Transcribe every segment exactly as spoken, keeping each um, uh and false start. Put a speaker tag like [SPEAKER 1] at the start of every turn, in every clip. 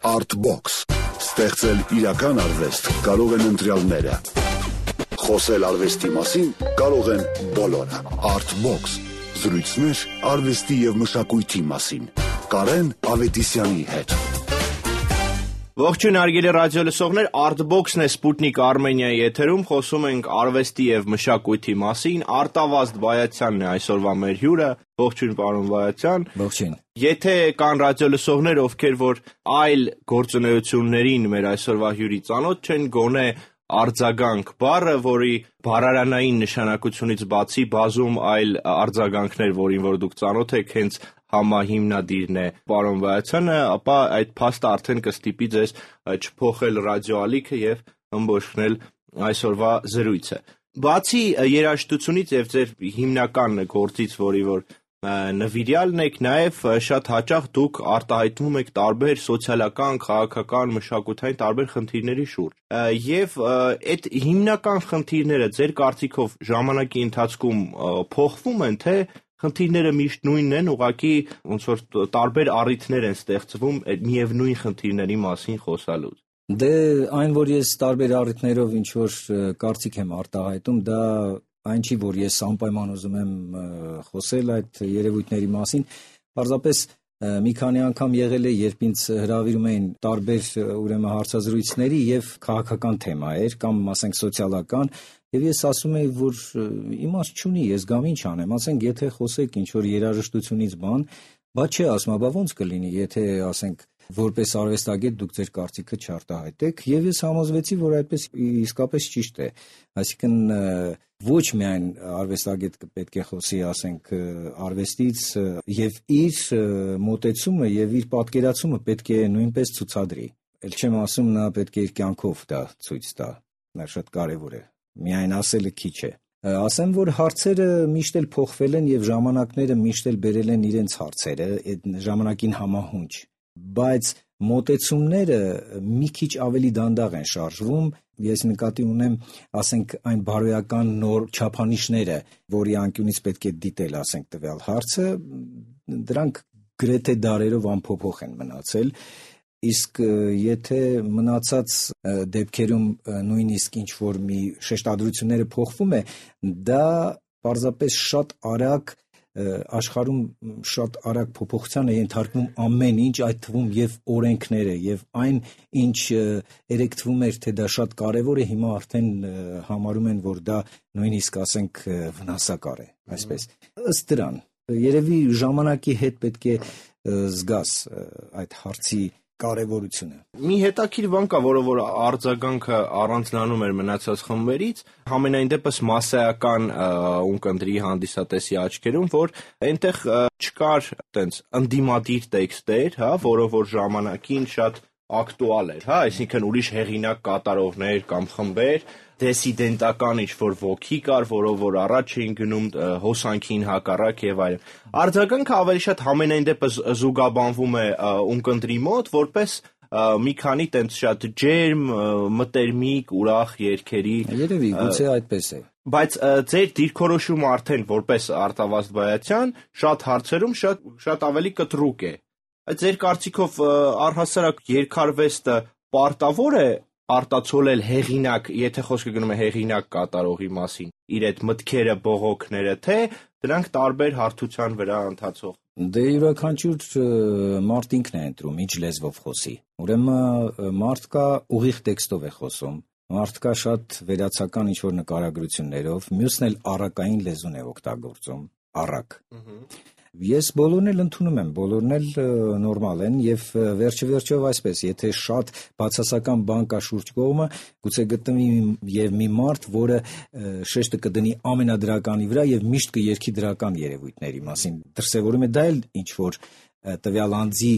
[SPEAKER 1] Artbox. Ստեղծել իրական արվեստ կարող են ընտրյալները։ Խոսել արվեստի մասին կարող են բոլորը։ Artbox. Զրույցներ արվեստի և մշակույթի մասին։ Կարեն Ավետիսյանի հետ։
[SPEAKER 2] Ողջույն հարգելի ռադիոլսողներ, Artbox-ն է Սպուտնիկ Արմենիայի եթերում, խոսում ենք արվեստի և մշակույթի մասին։ Արտավազդ Բայացյանն է այսօրվա մեր հյուրը։ Ողջույն պարոն Բայացյան։
[SPEAKER 3] Ողջույն։
[SPEAKER 2] Եթե կան ռադիոլսողներ, ովքեր որ այլ գործունեություններին մեր այսօրվա հյուրի ծանոթ չեն, գոնե արձագանք բառը, որի բառարանային նշանակությունից բացի բազում այլ արձագանքներ, որին որ դուք ծանոթ եք, հենց համահիմնադիրն է պարոն Բայացյանը, ապա այդ փաստը արդեն կստիպի ձեզ չփոխել ռադիոալիքը եւ ըմբոշխնել այսօրվա զրույցը։ Բացի երաժշտությունից եւ ձեր հիմնական գործից, որի որ նվիրյալն եք, նաև շատ հաճախ դուք արտահայտվում եք տարբեր սոցիալական, քաղաքական, մշակութային տարբեր խնդիրների շուրջ։ Եվ այդ հիմնական խնդիրները ձեր կարծիքով ժամանակի ընթացքում փոխվում են, թե խնդիրները միշտ նույնն են, ուղղակի ոնց որ տարբեր առիթներ են ստեղծվում այդ միևնույն խնդիրների մասին խոսալուց։
[SPEAKER 3] Դե այն, որ ես տարբեր առիթներով ինչ որ կարծիք եմ արտահայտում, դա այն չի, որ ես անպայման ուզում եմ խոսել այդ երևույթների մասին, պարզապես մի քանի անգամ եղել է, երբ ինձ հրավիրում էին տարբեր ուրեմն հարցազրույցների եւ քաղաքական թեմայեր կամ ասենք սոցիալական, եւ ես ասում եի, որ իմաստ չունի, ես գամ ինչ անեմ, ասենք եթե խոսեք ինչ որ երաժշտությունից բան, բա չէ, ասում, բա ոնց կլինի, եթե ասենք որպես արվեստագետ դուք ձեր կարծիքը չարտահայտեք, եւ ես համոզվեցի, որ այդպես իսկապես ճիշտ է, այսինքն ոչ միայն արվեստագետը պետք է խոսի, ասենք, արվեստից եւ իր մոտեցումը եւ իր պատկերացումը պետք է նույնպես ցուցադրի։ Էլ չեմ ասում նա պետք է իր կյանքով դա ցույց տա, դա շատ կարեւոր է։ Միայն ասելը քիչ է։ Ասեմ, որ հարցերը միշտ էլ փոխվել են եւ ժամանակները միշտ էլ բերել են իրենց հարցերը, այդ ժամանակին համահունչ, բայց մոտեցումները մի քիչ ավելի դանդաղ են շարժվում։ Ես նկատի ունեմ, ասենք, այն բարոյական նոր չափանիշները, որի անկյունից պետք է դիտել, ասենք, տվյալ հարցը, դրանք գրեթե դարերով անփոփոխ են մնացել, իսկ եթե մնացած դեպքերում նույնիսկ ինչ որ մի շեշտադրությունները փոխվում է, դա պարզապես շատ արագ աշխարհում շատ արագ փոփոխության է ենթարկվում ամեն ինչ, այդ թվում եւ օրենքները եւ այն ինչ երեք թվում էր, թե դա շատ կարեւոր է, հիմա արդեն համարում են, որ դա նույնիսկ ասենք վնասակար է, այսպես։ Ըստ դրան, երևի ժամանակի հետ պետք է զգաս այդ հարցի կարևորությունը։
[SPEAKER 2] Մի հետաքրքիր բան կա, որը որ արձագանքը առանձնանում էր մնացած խմբերից, համենայն դեպս մասսայական ունկնդրի հանդիսատեսի աչքերում, որ այնտեղ չկար այտենց ընդդիմադիր տեքստեր, հա, որը որ ժամանակին շատ ակտուալ էր, հա, այսինքն ուրիշ հեղինակ կատարողներ կամ խմբեր, դեսիդենտական ինչ-որ ոգի կար, որով որ առաջ էին գնում հոսանքին հակառակ եւ այլն։ Արձագանքը ավելի շատ համենայն դեպս զուգաբանվում է ունկնդրի մոտ, որպես մի քանի տենց շատ ջերմ, մտերմիկ, ուրախ երգերի։
[SPEAKER 3] Երևի, գուցե այդպես է։
[SPEAKER 2] Բայց ձեր դիրքորոշումը արդեն որպես Արտավազդ Բայացյան շատ հարցերում շատ շատ ավելի կտրուկ է։ Ձեր կարծիքով առհասարակ երգարվեստը պարտավոր է արտացոլել հեղինակ, եթե խոսքը գնում է հեղինակ կատարողի մասին, իր այդ մտքերը, բողոքները, թե դրանք տարբեր հարթության վրա ընթացող։
[SPEAKER 3] Դե յուրաքանչյուր մարդ ինքն է ընտրում ինչ լեզվով խոսի։ Ուրեմն մարդ կա ուղիղ տեքստով է խոսում, մարդ կա շատ վերացական ինչ-որ նկարագրություններով, մյուսն էլ առակային լեզուն է օգտագործում, առակ։ Ես բոլորն էլ ընդունում եմ, բոլորն էլ նորմալ են եւ վերջը վերջով այսպես, եթե շատ բացասական բան կա շուրջ կողմը, գուցե գտնվի եւ մի մարդ, որը շեշտը կդնի ամենադրականի վրա եւ միշտ կերքի դրական երևույթների մասին։ Դրսևորում է դա էլ ինչ որ տվյալ անձի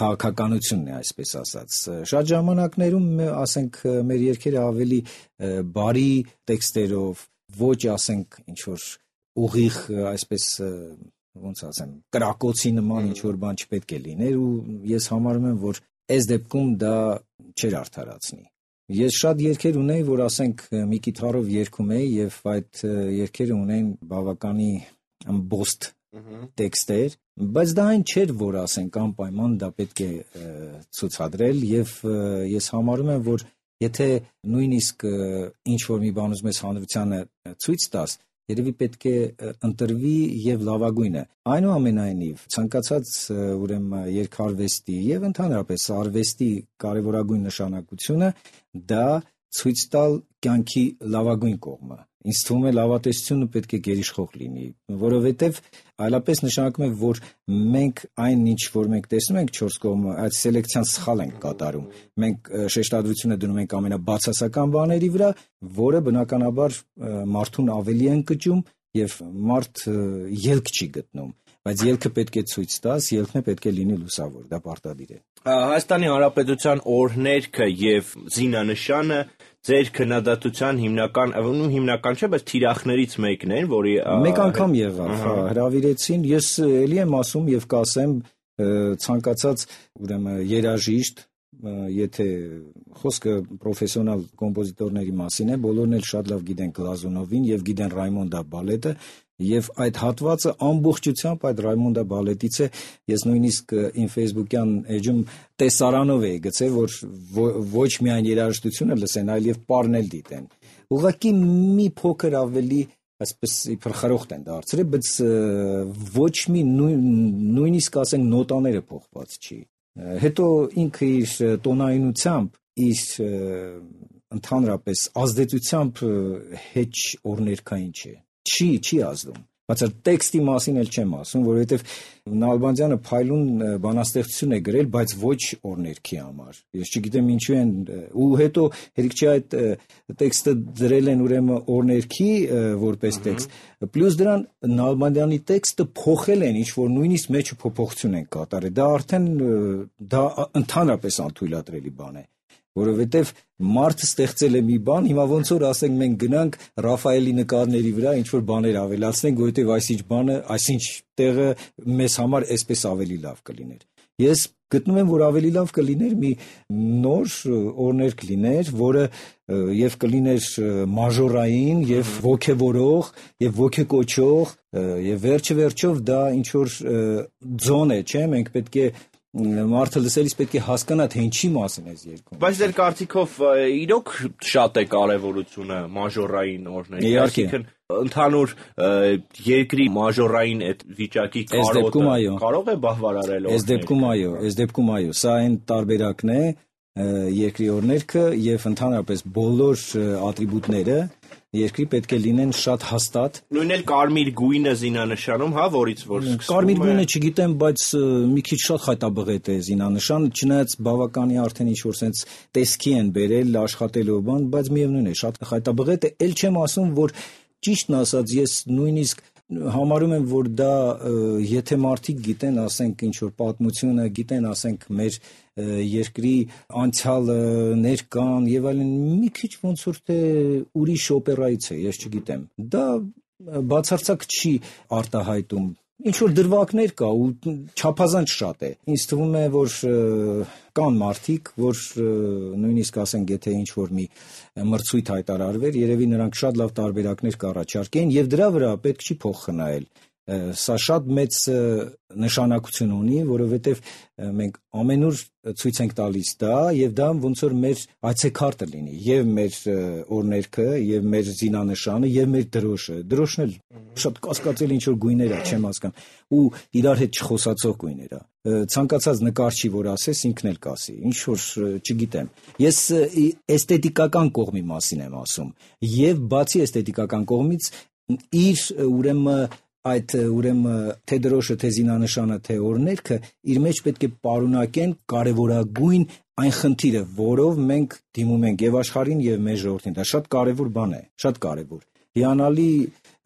[SPEAKER 3] քաղաքականությունն է, այսպես ասած։ Շատ ժամանակներում, ասենք, մեր երգերը ավելի բարի տեքստերով, ոչ, ասենք, ինչ որ ուղիղ, այսպես ոնց ասեմ, կրակոցի նման ինչ որ բան չպետք է լիներ ու ես համարում եմ, որ այս դեպքում դա չէր արդարացնի։ Ես շատ երգեր ունեի, որ ասենք մի կիթառով երգում էի եւ այդ երգերը ունեն բավականի ըմբոստ տեքստեր, բայց դա այն չէր, որ ասենք անպայման դա պետք է ցուցադրել, եւ ես համարում եմ, որ եթե նույնիսկ ինչ որ մի բան ուզում ես հանրությանը ցույց տաս, երևի պետք է ընտրվի եւ լավագույնը։ Այնուամենայնիվ, ցանկացած ուրեմն երգարվեստի եւ ընդհանրապես արվեստի կարեւորագույն նշանակությունը դա ցույց տալ կյանքի լավագույն կողմը։ Ինձ թվում է լավատեսությունը պետք է գերիշխող լինի, որովհետև այլապես նշանակում է, որ մենք այն ինչ որ մենք տեսնում ենք չորս կողմը, այդ սելեկցիան սխալ ենք կատարում։ Մենք շեշտադրությունը դնում ենք ամենաբացասական բաների վրա, որը բնականաբար մարդուն ավելի են կճում եւ մարդ ելք չի գտնում։ Բայց ելքը պետք է ցույց տաս, ելքն է պետք է լինի լուսավոր, դա պարտադիր է։
[SPEAKER 2] Հայաստանի Հանրապետության օրհներգը եւ զինանշանը ձեր քննադատության հիմնական, ու հիմնական չէ, բայց թիրախներից մեկն են, որի
[SPEAKER 3] մեկ անգամ եղավ, հա, հրավիրեցին, ես էլի եմ ասում եւ կասեմ ցանկացած ուրեմն երաժիշտ, եթե խոսքը պրոֆեսիոնալ կոմպոզիտորների մասին է, բոլորն էլ շատ լավ գիտեն Գլազունովին եւ գիտեն Ռայմոնդա բալետը, եւ այդ հատվածը ամբողջությամբ այդ Ռայմոնդա բալետից է, ես նույնիսկ իմ Facebook-յան էջում տեսարանով էի գցել, որ ոչ միայն երաժշտությունը լսեն, այլև պարնել դիտեն։ Ուղղակի մի փոքր ավելի այսպես իբր խրոխտ են դարձրել, բայց ոչ մի նույնիսկ ասենք նոտաները փոխված չի։ Հետո ինքը իր տոնայնությամբ, իր ընդհանրապես ազդեցությամբ հեչ օրներքային չէ։ Չի, չի ազդում։ Բայց տեքստի մասին էլ չեմ ասում, որովհետև Նալբանդյանը փայլուն բանաստեղծություն է գրել, բայց ոչ օրներքի համար։ Ես չգիտեմ ինչու են, ու հետո հերիք չի այդ տեքստը դրել են ուրեմն օրներքի որպես տեքստ, պլյուս դրան Նալբանդյանի տեքստը փոխել են, ինչ որ նույնիսկ մեջը փոփոխություն են կատարել։ Դա արդեն դա ընդհանրապես անթույլատրելի բան է։ Որովհետև մարդը ստեղծել է մի բան, հիմա ոնց որ ասենք մենք գնանք Ռաֆայելի նկարների վրա ինչ որ բաներ ավելացնենք, որովհետև այսինչ բանը, այսինչ տեղը մեզ համար այսպես ավելի լավ կլիներ։ Ես գտնում եմ, որ ավելի լավ կլիներ մի նոր օրներգ լիներ, որը եւ կլիներ մաժորային եւ ոգեվորող եւ ոգեկոչող եւ վերջը վերջով դա ինչ որ ձոն է, չէ՞, մենք պետք է մարդը լսելիս պետք է հասկանա, թե ինչի մասին է երգում։
[SPEAKER 2] Բայց ձեր կարծիքով իրոք շատ է կարևորությունը մաժորային օրների, այսինքն ընդհանուր երկրի մաժորային այդ վիճակի կարոտը կարող է բավարարել օրները։
[SPEAKER 3] Այս դեպքում այո, այս դեպքում այո, սա այն տարբերակն է երկրի օրներգը եւ ընդհանրապես բոլոր ատրիբուտները երկրի պետք է լինեն շատ հաստատ։
[SPEAKER 2] Նույն էլ կարմիր գույնը զինանշանում, հա, որից որ սկսվում է։
[SPEAKER 3] Կարմիր գույնը չգիտեմ, բայց մի քիչ շատ խայտաբղետ է զինանշան, չնայած բավականի արդեն ինչ որ sense տեսքի են բերել աշխատելով բան, բայց միևնույն է, շատ խայտաբղետ է, ել չեմ ասում, որ ճիշտն ասած ես նույնիսկ համարում եմ, որ դա եթե մարդիկ գիտեն, ասենք ինչ որ պատմությունը, գիտեն, ասենք մեր երկրի անցյալը, ներկան եւ այլն, մի քիչ ոնց որ թե ուրիշ օպերայից է, ես չգիտեմ։ Դա բացարձակ չի արտահայտում։ Ինչ որ դրվագներ կա ու չափազանց շատ է։ Ինձ թվում է, որ կան մարդիկ, որ նույնիսկ ասենք, եթե ինչ որ մի մրցույթ հայտարարվեր, երևի նրանք շատ լավ տարբերակներ կառաջարկեն եւ դրա վրա պետք չի փող խնայել։ Սա շատ մեծ նշանակություն ունի, որովհետև մենք ամենուր ցույց ենք տալիս դա եւ դա ոնց որ մեր այցեքարտը լինի եւ մեր օրներգը եւ մեր զինանշանը եւ մեր դրոշը։ Դրոշն էլ շատ կասկածելի ինչ որ գույներ է, չեմ հասկանում, ու իրար հետ չխոսացող գույներ է։ Ցանկացած նկարչի որ ասես ինքն էլ կասի, ինչ որ չգիտեմ։ Ես էսթետիկական կողմի մասին եմ ասում եւ բացի էսթետիկական կողմից իր ուրեմն այդ ուրեմն թե դրոշը, թե զինանշանը, թե օրներգը իր մեջ պետք է պարունակեն կարևորագույն այն խնդիրը, որով մենք դիմում ենք եւ աշխարհին եւ մեր ժողովրդին։ Դա շատ կարևոր բան է, շատ կարևոր։ Հիանալի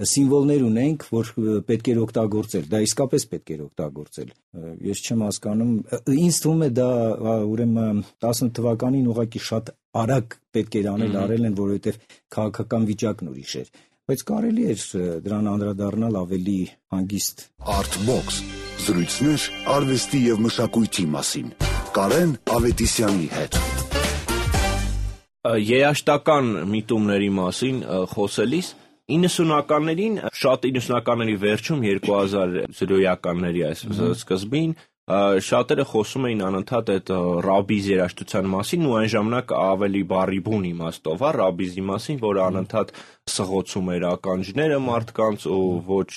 [SPEAKER 3] սիմվոլներ ունենք, որ պետք է օգտագործել։ Դա իսկապես պետք է օգտագործել։ Ես չեմ հասկանում, ինձ թվում է դա ուրեմն տասը թվականին ուղղակի շատ արագ պետք էր անել, արել են, որովհետեւ քաղաքական վիճակն ուրիշ էր։ Բայց կարելի էր դրան անդրադառնալ ավելի հանգիստ։
[SPEAKER 1] Artbox զրույցներ արվեստի եւ մշակույթի մասին։ Կարեն Ավետիսյանի հետ։
[SPEAKER 2] Երաժշտական միտումների մասին խոսելիս իննսունականներին, շատ իննսունականների վերջում երկու հազարականների այս սկզբին շատերը խոսում էին անընդհատ այդ ռաբիզ երաժշտության մասին ու այն ժամանակ ավելի բարի բուն իմաստով, հա, ռաբիզի մասին, որը անընդհատ սղոցում էր ականջները մարդկանց ու ոչ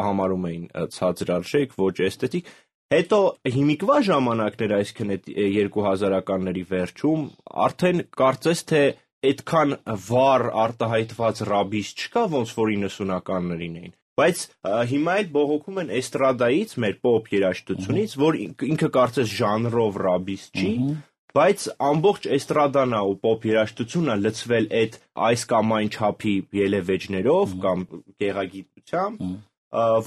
[SPEAKER 2] համարում էին ցածրարժեք, ոչ էսթետիկ։ Հետո հիմիկվա ժամանակներ, այսինքն այդ երկու հազարականների վերջում, արդեն կարծես թե այդքան վառ արտահայտված ռաբիզ չկա, ոնց որ իննսունականներին էին։ Բայց հիմա էլ բողոքում են էստրադայից, մեր պոպ երաժշտությունից, որ ինքը կարծես ժանրով ռաբիզ չի, բայց ամբողջ էստրադան ու պոպ երաժշտությունը լցվել այդ այս կամ այն չափի ելևէջներով կամ գեղագիտությամբ,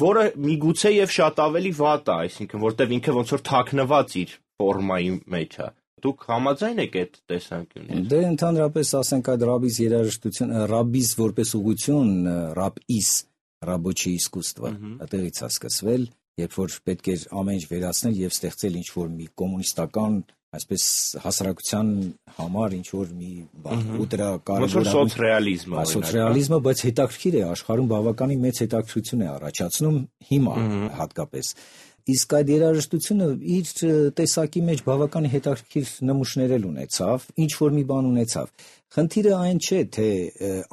[SPEAKER 2] որը միգուցե եւ շատ ավելի վատ է, այսինքն որտեվ ինքը ոնց որ թաքնված իր ֆորմայի մեջ է։ Դուք համաձայն եք այդ տեսանկյունից։
[SPEAKER 3] Դե ընդհանրապես ասենք այդ ռաբիզ երաժշտություն, ռաբիզ որպես ուղղություն, ռաբիս, ռաբոչի իսկուսստվա, այդտեղից է սկսվել, երբ որ պետք էր ամեն ինչ վերացնել եւ ստեղծել ինչ որ մի կոմունիստական, այսպես հասարակության համար ինչ որ մի բան, ու դրա կարևոր
[SPEAKER 2] սոցռեալիզմը,
[SPEAKER 3] սոցռեալիզմը, բայց հետաքրքիր է, աշխարհում բավականին մեծ հետաքրքրություն է առաջացնում հիմա հատկապես։ Իսկ այդ երաժշտությունը իր տեսակի մեջ բավական հետաքրքիր նմուշներ էլ ունեցավ, ինչ որ մի բան ունեցավ։ Խնդիրը այն չէ, թե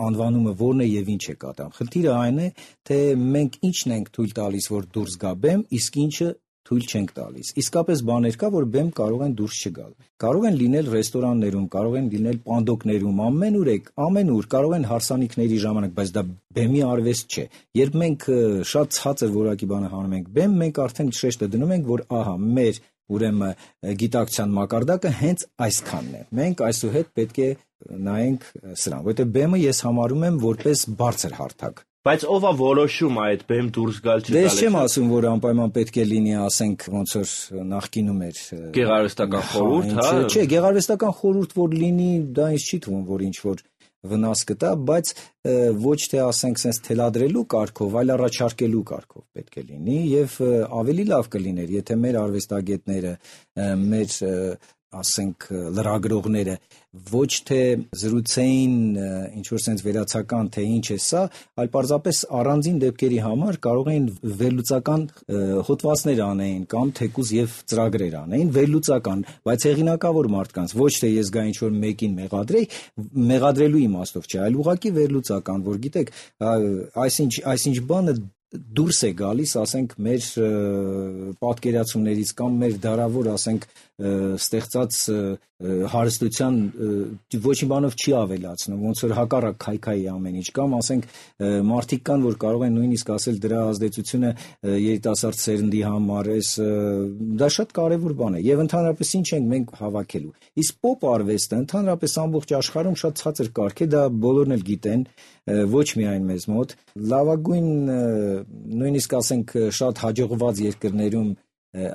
[SPEAKER 3] անվանումը որն է եւ ինչ է կատարում։ Խնդիրը այն է, թե մենք ինչն ենք թույլ տալիս, որ դուրս գա բեմ, իսկ ինչը թույլ չենք տալիս։ Իսկապես բաներ կա, որ բեմ կարող են դուրս չգալ։ Կարող են լինել ռեստորաններում, կարող են լինել պանդոկներում, ամենուր եք, ամենուր, կարող են հարսանիքների ժամանակ, բայց դա բեմի արվեստ չէ։ Երբ մենք շատ ցածր որակի բանը հանում ենք բեմ, մենք արդեն շեշտը դնում ենք, որ ահա մեր ուրեմն գիտակցության մակարդակը հենց այսքանն է։ Մենք այսուհետ պետք է նայենք սրան, որովհետև բեմը ես համարում եմ որպես բարձր հարթակ։
[SPEAKER 2] Բայց ով է որոշում այդ բեմ դուրս գալ չգալ։
[SPEAKER 3] Դե ես չեմ ասում, որ անպայման պետք է լինի, ասենք, ոնց որ նախկինում էր
[SPEAKER 2] գեղարվեստական խորհուրդ, հա։
[SPEAKER 3] Չէ, գեղարվեստական խորհուրդ որ լինի, դա ինձ չի թվում, որ ինչ որ վնաս կտա, բայց ոչ թե ասենք sense թելադրելու կարգով, այլ առաջարկելու կարգով պետք է լինի եւ ավելի լավ կլիներ, եթե մեր արվեստագետները, մեր ասենք լրագրողները ոչ թե զրուցեին ինչ որ sense վերացական թե ինչ է սա, այլ պարզապես առանձին դեպքերի համար կարող էին վերլուծական հոդվածներ անեին կամ թեկուզ եւ ծրագրեր անեին, վերլուծական, բայց հեղինակավոր մարդկանց, ոչ թե ես գա ինչ որ մեկին մեղադրեի, մեղադրելու իմաստով չէ, այլ ուղղակի վերլուծական, որ գիտեք, այսինչ այսինչ բանը դուրս է գալիս, ասենք, մեր պատկերացումներից կամ մեր դարավոր, ասենք, ստեղծած հարստության ոչ մի բանով չի ավելացնում, ոնց որ հակառակ քայքայի ամեն ինչ, կամ ասենք մարդիկ կան, որ կարող են նույնիսկ ասել դրա ազդեցությունը երիտասարդ սերնդի համար, էս դա շատ կարևոր բան է, եւ ընդհանրապես ինչ ենք մենք հավաքելու։ Իսկ պոպ արվեստը ընդհանրապես ամբողջ աշխարհում շատ ցածր կարգ է, դա բոլորն էլ գիտեն, ոչ միայն մեզ մոտ, լավագույն նույնիսկ ասենք շատ հաջողված երկրներում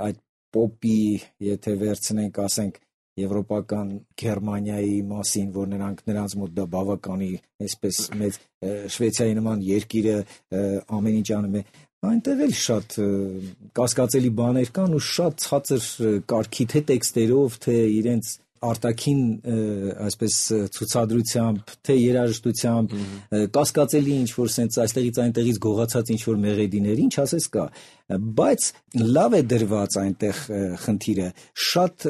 [SPEAKER 3] այդ պոպի, եթե վերցնենք, ասենք, եվրոպական Գերմանիայի մասին, որ նրանք նրանց մոտ դա բավականի, այսպես մեծ Շվեյցարիայի նման երկիրը ամեն ինչ անում է, այնտեղ էլ շատ կասկածելի բաներ կան ու շատ ցածր կարգի թե տեքստերով, թե իրենց արտաքին այսպես ցուցադրությամբ, թե երաժշտությամբ, կասկածելի ինչ որ sense այստեղից այնտեղից գողացած ինչ որ մեղեդիներ, ինչ ասես կա, բայց լավ է դրված այնտեղ խնդիրը, շատ,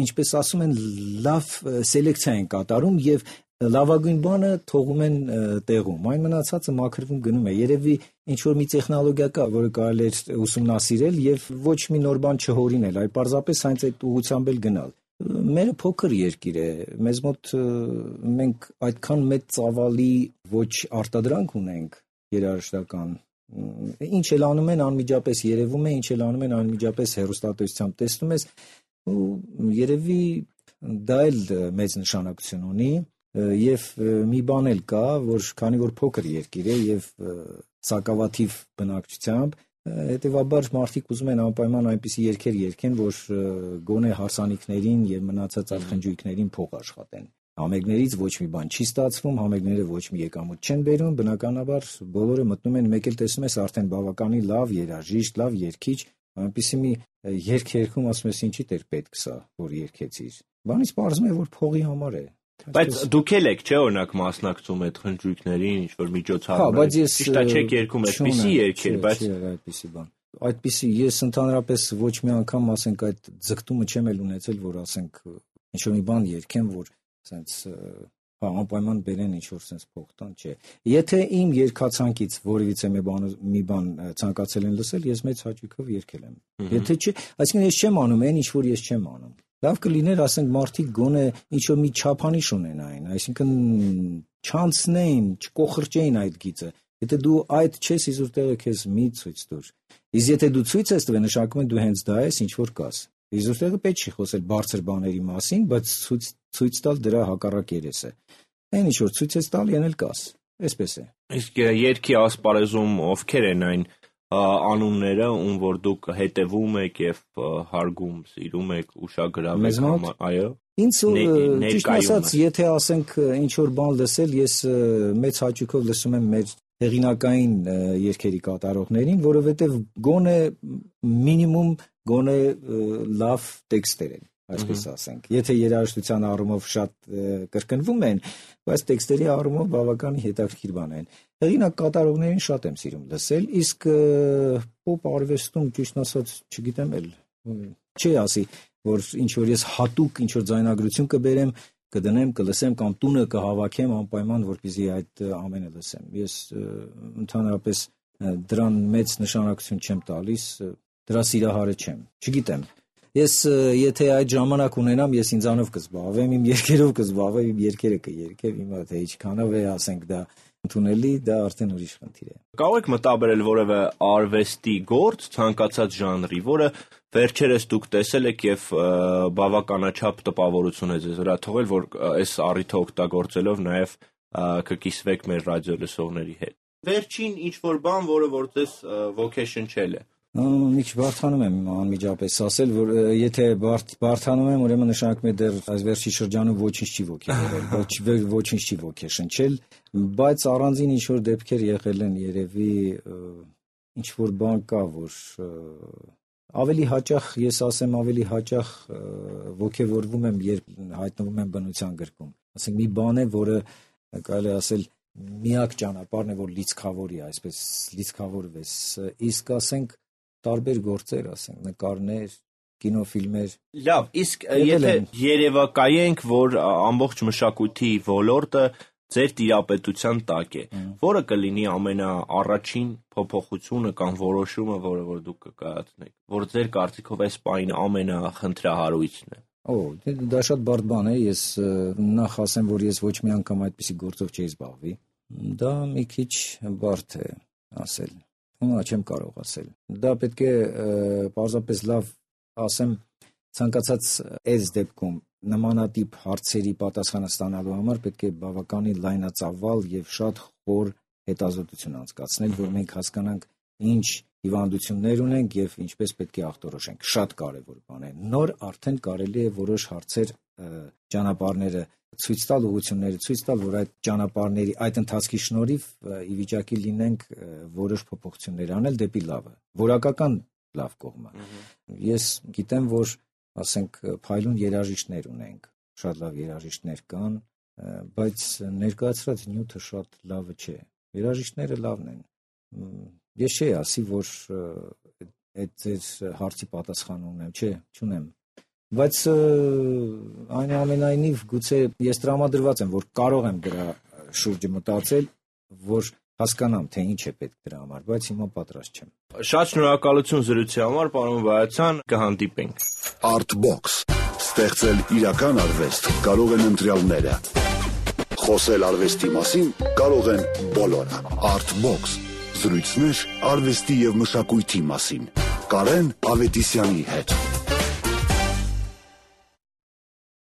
[SPEAKER 3] ինչպես ասում են, լավ սելեկցիա են կատարում եւ լավագույն բանը թողում են տեղում, այն մնացածը մաքրվում գնում է, երևի ինչ որ մի տեխնոլոգիա կա, որը կարելի է ուսումնասիրել եւ ոչ մի նոր բան չհորինել, այլ պարզապես հենց այդ ուղղությամբ էլ գնալ։ Մերը փոքր երկիր է, մեզ մոտ մենք այդքան մեծ ծավալի ոչ արտադրանք ունենք երաժշտական, ինչ էլ անում են անմիջապես երևում է, ինչ էլ անում են անմիջապես հեռուստատեսությամբ տեսնում ես, ու երևի դա էլ մեծ նշանակություն ունի եւ մի բան էլ կա, որ քանի որ փոքր երկիր է եւ սակավաթիվ բնակչությամբ, հետևաբար մարդիկ ուզում են անպայման այնպիսի երգեր երգեն, որ գոնե հարսանիքներին եւ մնացած այլ խնջույքներին փող աշխատեն։ Համերգներից ոչ մի բան չի ստացվում, համերգները ոչ մի եկամուտ չեն բերում, բնականաբար բոլորը մտնում են, մեկ էլ տեսնում ես արդեն բավականին լավ երաժիշտ, լավ երգիչ, այնպիսի մի երգ երգում, ասում ես ինչի դեր պետք սա, որ երգեցիր։ Բանից պարզվում է, որ փողի համար է։
[SPEAKER 2] Բայց դուք եք, չէ՞, օրինակ մասնակցում այդ խնջույքներին, ինչ որ միջոցառումներ։ Ճիշտ է, չեք երգում այդպիսի երգեր, բայց
[SPEAKER 3] այդպիսի բան։ Այդպիսի ես ընդհանրապես ոչ մի անգամ, ասենք, այդ ձգտումը չեմ էլ ունեցել, որ ասենք ինչ որ մի բան երգեմ, որ ասենց հա անպայման բերեն ինչ որ sense փող տան, չէ։ Եթե իմ երգացանկից որևիցե մի բան մի բան ցանկացել են լսել, ես մեծ հաճույքով երգել եմ։ Եթե չէ, այսինքն ես չեմ անում այն, ինչ որ ես չեմ անում։ Լավ կլիներ, ասենք, մարդիկ գոնե ինչ որ մի չափանիշ ունենային, այսինքն չանցնեին, չկոխրճեին այդ գիծը։ Եթե դու այդ չես, իզուր տեղը քեզ մի ցույց տուր։ Իսկ եթե դու ցույց ես տվել, նշանակում է դու հենց դա ես, ինչ որ կաս։ Իզուր տեղը պետք չի խոսել բարձր բաների մասին, բայց ցույց ցույց տալ դրա հակառակ երեսը։ Այն ինչ որ ցույց ես տալ, եղել կաս։ Այսպես է։
[SPEAKER 2] Իսկ երգի ասպարեզում ովքեր են այն անունները, ում որ դուք հետևում եք եւ հարգում, սիրում եք, ուշագրավ եք, այո։
[SPEAKER 3] Ինձ ճիշտ ասած, եթե ասենք ինչ որ բան լսել, ես մեծ հաճույքով լսում եմ մեր հեղինակային երգերի կատարողներին, որովհետեւ գոնե մինիմում գոնե լավ տեքստեր են, այսպես ասենք։ Եթե երաժշտության առումով շատ կրկնվում են, բայց տեքստերի առումով բավական հետաքրքիր բան են։ Հեղինակ կատարողներին շատ եմ սիրում լսել, իսկ պոպ արվեստում ճիշտ ասած չգիտեմ էլ չի ասի, որ ինչ որ ես հատուկ ինչ որ ձայնագրություն կբերեմ, կդնեմ, կլսեմ կամ տունը կհավաքեմ անպայման, որպեսզի այդ ամենը լսեմ։ Ես ընդհանրապես դրան մեծ նշանակություն չեմ տալիս, դրա սիրահարը չեմ։ Չգիտեմ։ Ես եթե այդ ժամանակ ունենամ, ես ինձանով կզբաղվեմ, իմ երգերով կզբաղվեմ, իմ երգերը կերգեմ, հիմա թե ինչքանով է, ասենք, դա ընդունելի, դա արդեն ուրիշ խնդիր է։
[SPEAKER 2] Կարող եք մտաբերել որևէ արվեստի գործ ցանկացած ժանրի, որը վերջերս դուք տեսել եք եւ բավականաչափ տպավորություն է ձեզ վրա թողել, որ այս առիթը օգտագործելով նաեւ կկիսվեք մեր ռադիո լսողների հետ։ Վերջին ինչ որ բան, որը որ ձեզ ոգեշնչել է։
[SPEAKER 3] Մի քիչ բարթանում եմ անմիջապես ասել, որ եթե բարթանում եմ, ուրեմն նշանակում է դեռ այս վերջի շրջանում ոչինչ չի ոգեշնչել, ոչ ոչինչ չի ոգեշնչել, բայց առանձին ինչ որ դեպքեր եղել են, երևի ինչ որ բան կա, որ ավելի հաճախ, ես ասեմ, ավելի հաճախ ոգևորվում եմ, երբ հայտնվում եմ բնության գրկում։ Ասենք մի բան է, որը կարելի ասել միակ ճանապարհն է, որ լիցքավորի, այսպես լիցքավորվես, իսկ ասենք տարբեր գործեր, ասենք նկարներ, կինոֆիլմեր։
[SPEAKER 2] Լավ, իսկ եթե երևակայենք, որ ամբողջ մշակույթի ոլորտը ձեր տիրապետության տակ է, որը կլինի ամենաառաջին փոփոխությունը կամ որոշումը, որը որ դուք կկայացնեք, որ ձեր կարծիքով այս պահին ամենախնդրահարույցն է։
[SPEAKER 3] Օ, դա շատ բարդ բան է, ես նախ ասեմ, որ ես ոչ մի անգամ այդպիսի գործով չէի զբաղվի։ Դա մի քիչ բարդ է ասել։ Հիմա չեմ կարող ասել։ Դա պետք է պարզապես լավ ասեմ, ցանկացած այս դեպքում նմանատիպ հարցերի պատասխանը ստանալու համար պետք է բավականին լայնածավալ եւ շատ խոր հետազոտություն անցկացնել, որ մենք հասկանանք ինչ հիվանդություններ ունենք եւ ինչպես պետք է ախտորոշենք։ Շատ կարեւոր բան է։ Նոր արդեն կարելի է որոշ հարցեր ճանապարհները ցույց տալ, ուղղությունները ցույց տալ, որ այդ ճանապարհների այդ ընթացքի շնորհիվ ի վիճակի լինենք որոշ փոփոխություններ անել դեպի լավը, որակական լավ կողմը։ Ես գիտեմ, որ ասենք փայլուն երաժիշտներ ունենք, շատ լավ երաժիշտներ կան, բայց ներկայացրած նյութը շատ լավը չէ։ Երաժիշտները լավն են։ Ես չի ասի, որ այդ ձեր հարցի պատասխան ունեմ, չէ, չունեմ։ Բայց այնուամենայնիվ գուցե ես տրամադրված եմ, որ կարող եմ դրա շուրջը մտածել, որ հասկանամ, թե ինչ է պետք դրա համար, բայց հիմա պատրաստ չեմ։
[SPEAKER 2] Շատ շնորհակալություն զրույցի համար, պարոն Վայացյան, կհանդիպենք։
[SPEAKER 1] Artbox ստեղծել իրական արվեստ կարող են ընտրյալները։ Խոսել արվեստի մասին կարող են բոլորը։ Artbox զրույցներ արվեստի եւ մշակույթի մասին։ Կարեն Ավետիսյանի հետ։